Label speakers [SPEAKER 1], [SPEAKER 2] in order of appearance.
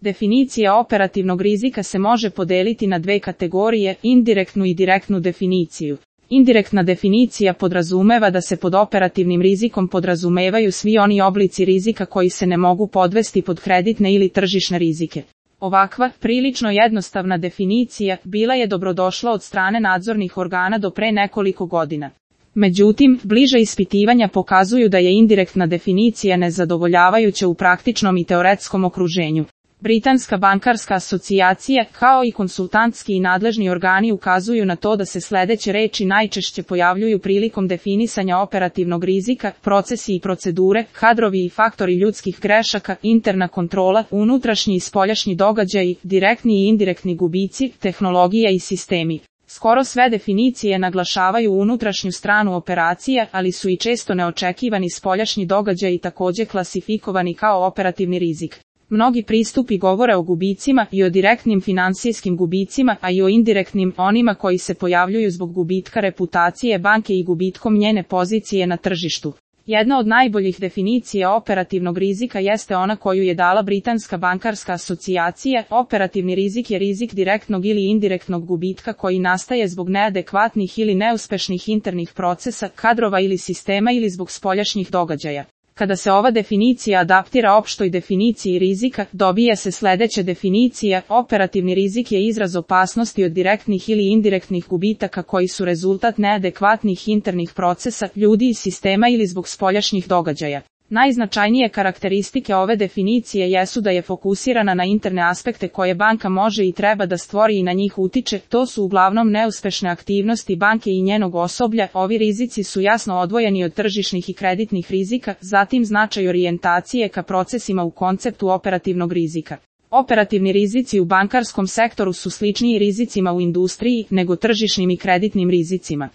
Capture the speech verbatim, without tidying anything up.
[SPEAKER 1] Definicija operativnog rizika se može podeliti na dve kategorije, indirektnu i direktnu definiciju. Indirektna definicija podrazumeva da se pod operativnim rizikom podrazumevaju svi oni oblici rizika koji se ne mogu podvesti pod kreditne ili tržišne rizike. Ovakva, prilično jednostavna definicija, bila je dobrodošla od strane nadzornih organa do pre nekoliko godina. Međutim, bliža ispitivanja pokazuju da je indirektna definicija nezadovoljavajuća u praktičnom i teoretskom okruženju. Britanska bankarska asocijacija, kao i konsultantski i nadležni organi ukazuju na to da se sledeće reči najčešće pojavljuju prilikom definisanja operativnog rizika: procesi i procedure, kadrovi i faktori ljudskih grešaka, interna kontrola, unutrašnji i spoljašnji događaji, direktni i indirektni gubici, tehnologija i sistemi. Skoro sve definicije naglašavaju unutrašnju stranu operacija, ali su i često neočekivani spoljašnji događaji takođe klasifikovani kao operativni rizik. Mnogi pristupi govore o gubicima i o direktnim finansijskim gubicima, a i o indirektnim, onima koji se pojavljuju zbog gubitka reputacije banke i gubitkom njene pozicije na tržištu. Jedna od najboljih definicija operativnog rizika jeste ona koju je dala Britanska bankarska asocijacija. Operativni rizik je rizik direktnog ili indirektnog gubitka koji nastaje zbog neadekvatnih ili neuspešnih internih procesa, kadrova ili sistema ili zbog spoljašnjih događaja. Kada se ova definicija adaptira opštoj definiciji rizika, dobija se sledeća definicija: operativni rizik je izraz opasnosti od direktnih ili indirektnih gubitaka koji su rezultat neadekvatnih internih procesa, ljudi i sistema ili zbog spoljašnjih događaja. Najznačajnije karakteristike ove definicije jesu da je fokusirana na interne aspekte koje banka može i treba da stvori i na njih utiče, to su uglavnom neuspešne aktivnosti banke i njenog osoblja. Ovi rizici su jasno odvojeni od tržišnih i kreditnih rizika, zatim značaj orijentacije ka procesima u konceptu operativnog rizika. Operativni rizici u bankarskom sektoru su sličniji rizicima u industriji nego tržišnim i kreditnim rizicima.